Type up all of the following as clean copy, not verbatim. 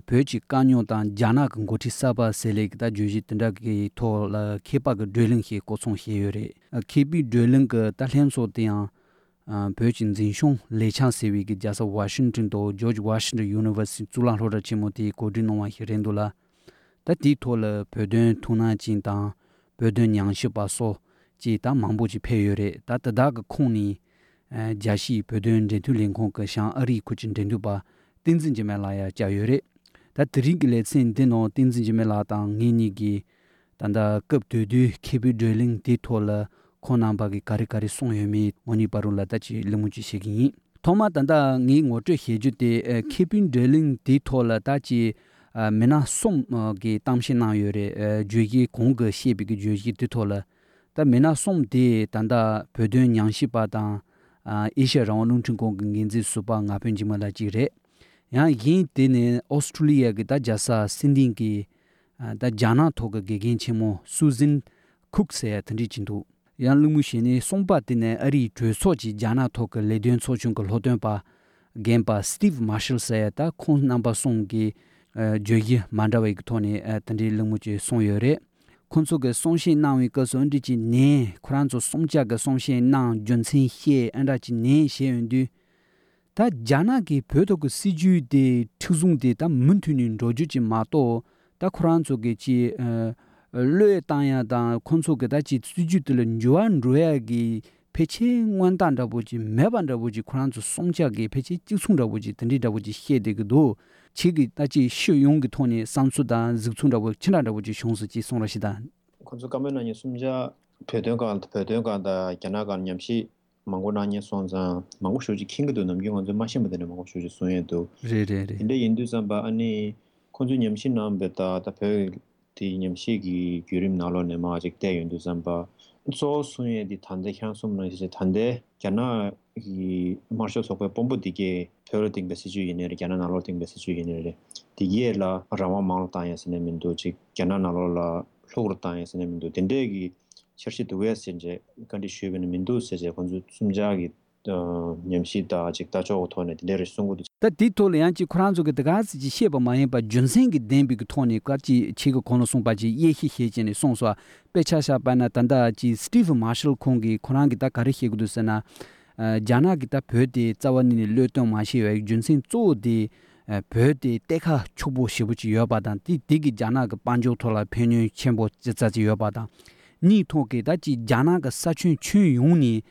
pyoji kanyo dan jana kan goti saba sele da juji tenda ki to la kepa ga drilling he ko song he yore kebi drilling ga ta len so tiang pyoji zin shong le chang sewi gi jasa Washington to George Washington University zulang ro da chimoti ko din no wa hirendo la ta di to la pöden tuna jin dan pöden nyang shi ba so ji da mangbo ji pe yore da da ga khong ni jashi pöden de tu ling khong ka shang ari ku jin den du ba tinzin jime la ya ja yore da dring le sin den no tinzin jime la tang ngi ni gi tanda kap de du kebi drilling de to la khonam ba gi kari kari song yemi moni paru la ta chi limu chi shigi thoma tanda ngi ngo tre he ju de kebi drilling de to la ta chi mena som gi tamshin na yore ju gi kong ge she bi gi ju gi de to la ta mena som de tanda pöden nyang shi ba da isha rang nung chung kong ngin ji su ba nga pen ji ma la ji re या yin tene Australia ge da jasa sinding ki da jana thog ge gen chemo Susan Cook se thandi chindu yan lumu shene songpa tene ari jwe so ji jana thog le den so chung ko lodon pa game pa Steve Marshall se ta khon number song ge jogi mandawe ge thone thandi lumu che song yore khonso ge songshin nang wi ko so ndi chi ne khran zo songja ge songshin nang junsin he anda chi ne she yundu 다 자나기 벼도그 시주데 투중데 다 문투닌 로주지 마도 다 쿠란 쪽에지 르에 땅야다 콘소게다지 시주들 조안 로야기 배치 원단다 보지 매반다 보지 쿠란 쪽 송자기 배치 찍송다 보지 든디다 보지 해데기도 치기 다지 쉬용기 토니 산수다 즈충다 보지 친하다 보지 형수지 송라시다 콘소 가면은 숨자 벼도가다 야나가 냠시 망고나니 손자 망고 쇼지 킹도 넘기고 좀 마시면 되는 망고 쇼지 손에도 레레레 근데 인도산바 아니 콘주 냠신 남베다 다페디 냠시기 규림 나로네 마직 때 인도산바 소 손에디 단대 향솜는 이제 단대 잖아 이 마셔 속에 bombo디게 페어딩 메시지 이네르 잖아 나로딩 메시지 이네르 디게라 라마 마르타야스네 민도지 잖아 나로라 로르타야스네 민도 덴데기 철시도 외신제 컨디션은 민도세제 건주 숨자기 냠시다 직다 저거 토네 내를 송고도 다 디톨 양치 쿠란조게 다가지 시에바 마예바 준생기 덴비기 토니 까지 치고 코노송 바지 예히 헤제네 송소 베차샤 바나 단다 지 스티브 마셜 콩기 쿠란기 다 가르히고도스나 자나기 다 베디 자원니 르톤 마시웨 준생 쪼디 베디 테카 초보 시부지 여바단 디기 자나가 반조 토라 페뉴 쳔보 자자지 여바단 니 토게다지 자나가 사춘 춘용니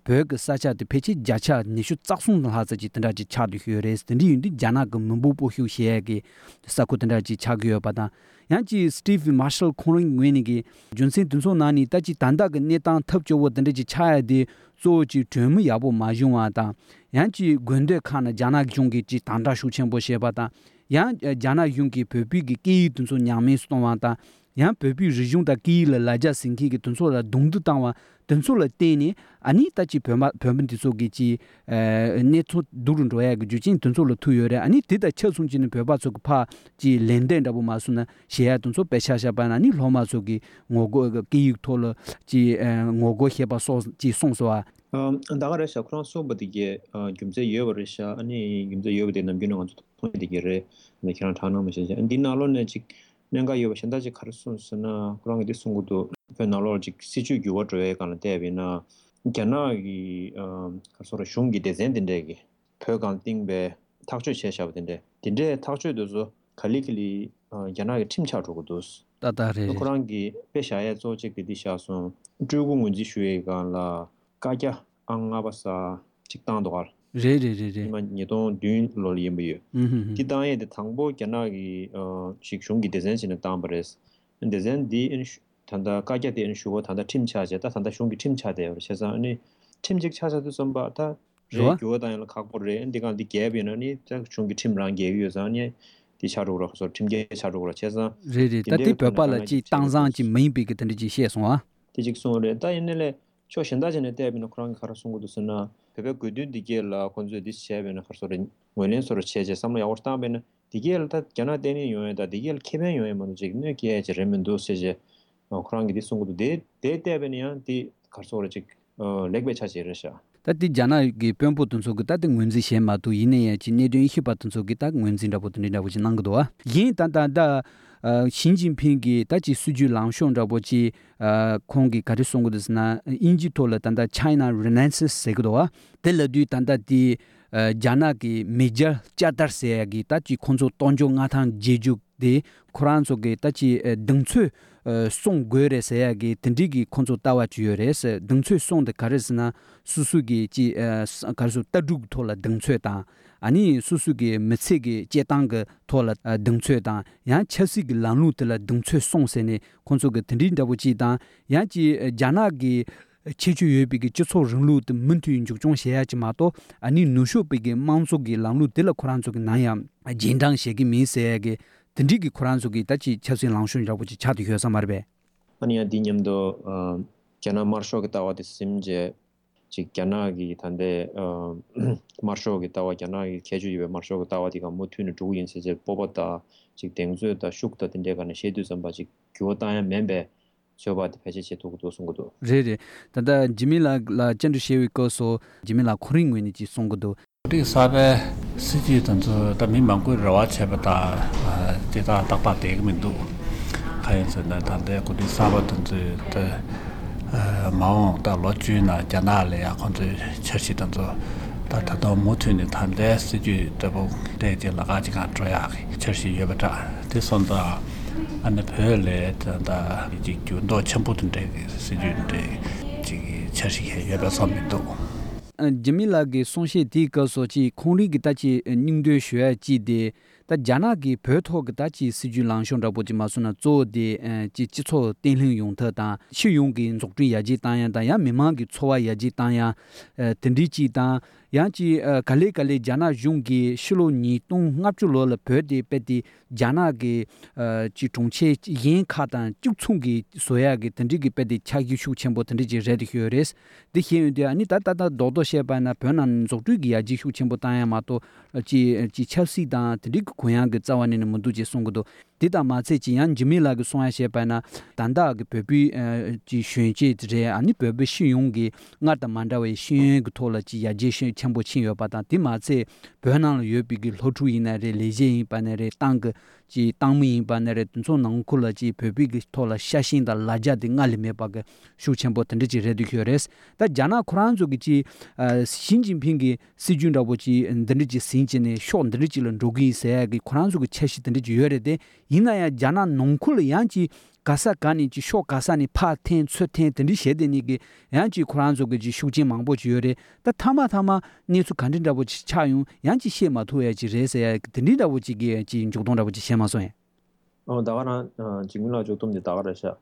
벽 사차드 페치 자차 니슈 짝송 하자지 든다지 차드 휴레스 든디 자나가 문부부 휴시에게 사쿠든다지 차기여 바다 양지 스티브 마셜 코닝 웨니기 준신 든소 나니 따지 단다가 네탄 탑조워 든지 차야디 조지 드무 야보 마중와다 양지 군데 칸 자나 중기지 단다 슈첸보 셰바다 양 자나 융기 베비기 기 든소 냐메 스토와다 양 베비 리중다 기라 라자 싱기기 든소라 동두 땅와 든소라 테니 아니 따지 변변디 소기지 네토 두룬도야 주진 든소로 투요레 아니 디다 쳐순지는 베바소 파지 렌덴다보 마수나 시야 든소 베샤샤반 아니 로마소기 ngogo ki tol ji ngogo hebaso ji songsoa 다가래서 그런 소버디게 김제 여버리샤 아니 김제 여버데 남기는 건 토디게레 네 그런 단어면서 인디나로네 직 내가 여버 현다지 가르스나 그런 게 송고도 페놀로지 시주 교워드에 가는 대비나 게나기 가서로 슝기 데젠딘데게 표간팅베 탁주 제샤버딘데 딘데 탁주도서 칼리클리 게나기 팀차로고도 따다레 그런 게 배샤에 조직이 디샤서 주공문지 슈에가라 가자 앙아바사 직당도 갈 레레레레 이만 니도 듄 로리엠비요 기타에 당보 게나기 직중기 데젠시는 담버레스 데젠 디 단다 가게데 인슈고 단다 팀 차제다 단다 슝기 팀 차대요 그래서 아니 팀직 차자도 좀 봐다 레교다는 각보래 인디가 디 개비는이 자 슝기 팀랑 개유여서 아니 디차로로 해서 팀계 차로로 해서 레레 따티 페팔라지 땅상지 메인비게 든지 시에송아 디직송을 다 옛날에 저 현다전에 대비는 그런 거 가르친 것도 쓰나 베베 그드 디게라 건조 디시에베는 가서는 원연서로 체제 삼로 야워스타베는 디게르다 견아데니 요에다 디게르 케벤 요에만 지금 게 제레멘도 세제 그런 게 디송고도 데 대대베니야 디 가서로 즉 렉베 차지르샤 Tati jana ge pyampo tunso ge tati ngunzi shen ma tu ine ya chi ne dun hi pa tunso ge ta ngunzi da bo tni da bo chi nang do wa yin ta da Xi Jinping gi ta chi suju lang shong da bo chi khong gi ka ri song de na inji to la ta da China Renaissance se ge do wa de le du ta da di jana gi major chatar se gi ta chi khonzo tonjo nga thang jeju de Quran so ge ta chi dengchu song gore se ya gi tindi gi khonzo tawa chi yore se dengchu song de kares na susu gi chi karsu tadug thola dengchu ta 아니 수수게 메세게 제당게 토라 등최다 야 첼시게 랑루텔라 등최 송세네 콘소게 드린다부지다 야지 자나기 체주 예비게 주소 릉루드 문투인 죽종 해야지마도 아니 누쇼비게 망소게 랑루텔라 코란소게 나야 진당 시기 미세게 든디기 코란소게 다치 첼시 랑슌이라부지 차디 회사 말베 아니야 디님도 자나 마르쇼게 타와디 심제 직견하기 단데 마르쇼게 타와 견하기 개주입에 마르쇼게 타와디가 모투는 조인 세제 뽑았다 직 땡주다 슉다 된데가는 셰두 선바지 교다야 멤베 저바디 패치체 도구도 송고도 제제 단다 지밀라 라 젠드 셰위코소 지밀라 코링웨니지 송고도 우리 사베 시지 던저 다민망고 라와체바다 데이터 딱바데 민도 가연선다 단데 고디 사바 던저 마오 다 로주나 자나레야 컨트 처시 던저 다다도 모트니 단데 시지 더보 데제 라가지가 줘야 처시 여바다 대선다 안에 별에 다 이제 준도 첨부든데 시지인데 지기 처시해 여바서 민도 Jamilaගේ sonshe di ka sochi khongri gi tachi ningde shue ji de ta jana gi phetho gi tachi siju langshon ra boji masuna zo de ji ji cho tenling yong ta da shi yong gi zok tri ya ji ta ya da ya mema gi chowa ya ji ta ya tendi ji da ya ji kale kale jana yong gi shilo ni tong ngap chu lo le phe de pe di jana gi ji tong che yin kha da ju chung gi soya gi tendi gi pe di cha gi shu chen bo tendi ji red hyores de hin de ani ta do sheba나 변한 쪽두기 야지 휴침보 다야마도 지 첼시 다 드릭 고양 그 자원에는 문두지 송고도 디다 마체 지안 지밀라그 송야 she바나 단다 그 베비 지 쉔지 드레 아니 베비 신용기 나다 만다웨 신 그토라지 야지 신 첨보 친여 바다 디마체 변한 여비기 로투이나레 레제인 바네레 땅그 지 땅미 바네레 좀 능콜라지 베비기 토라 샤신다 라자디 ngalime 바게 슈첨보 던지 레디큐레스 다 자나 쿠란조기지 신진핑기 시준다보지 던지 신진의 쇼던지는 로기 세야기 쿠란조기 체시 던지 요레데 이나야 자나 농쿨 양지 가사가니 지 쇼가사니 파텐 츠텐 던지 셰데니기 양지 쿠란조기 슈진 망보지 요레 다 타마타마 니수 간진다보지 차용 양지 셰마토야지 레세야 던지다보지기 지 조동다보지 셰마소에 다가나 지금라 조동데 다가라샤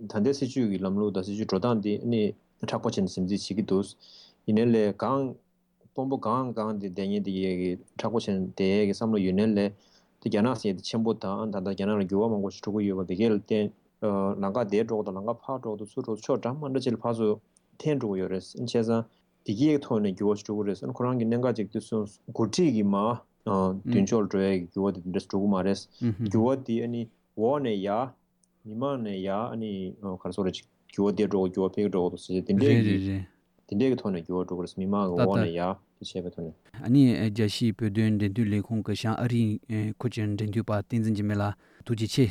단데 시주기 람로다 시주 조단디 니 타포친 심지 시기도스 이넬레 강 pombo gang de denye de 타포친 데게 삼로 유넬레 디냐나시 쳔보타 안다다 냐나 교와 먹고 싶고 이거 되게 때 나가 대조도 나가 파조도 수로 초잠만도 질 파조 텐조 요레스 인체자 디기에 토네 교와 싶고 그래서 그런 게 nenga 직도 고티기마 딘졸드에 교와디 인더스트리 마레스 교와디 아니 원에야 니만에야 아니 가르소르지 교와디로 교와페로도 쓰지 딘데게 토네 교와도 그래서 미마가 원에야 디체베토네 아니 제시 베드엔데 둘레 콩카샤 아리 코젠 덴두파 틴진지멜라 두지체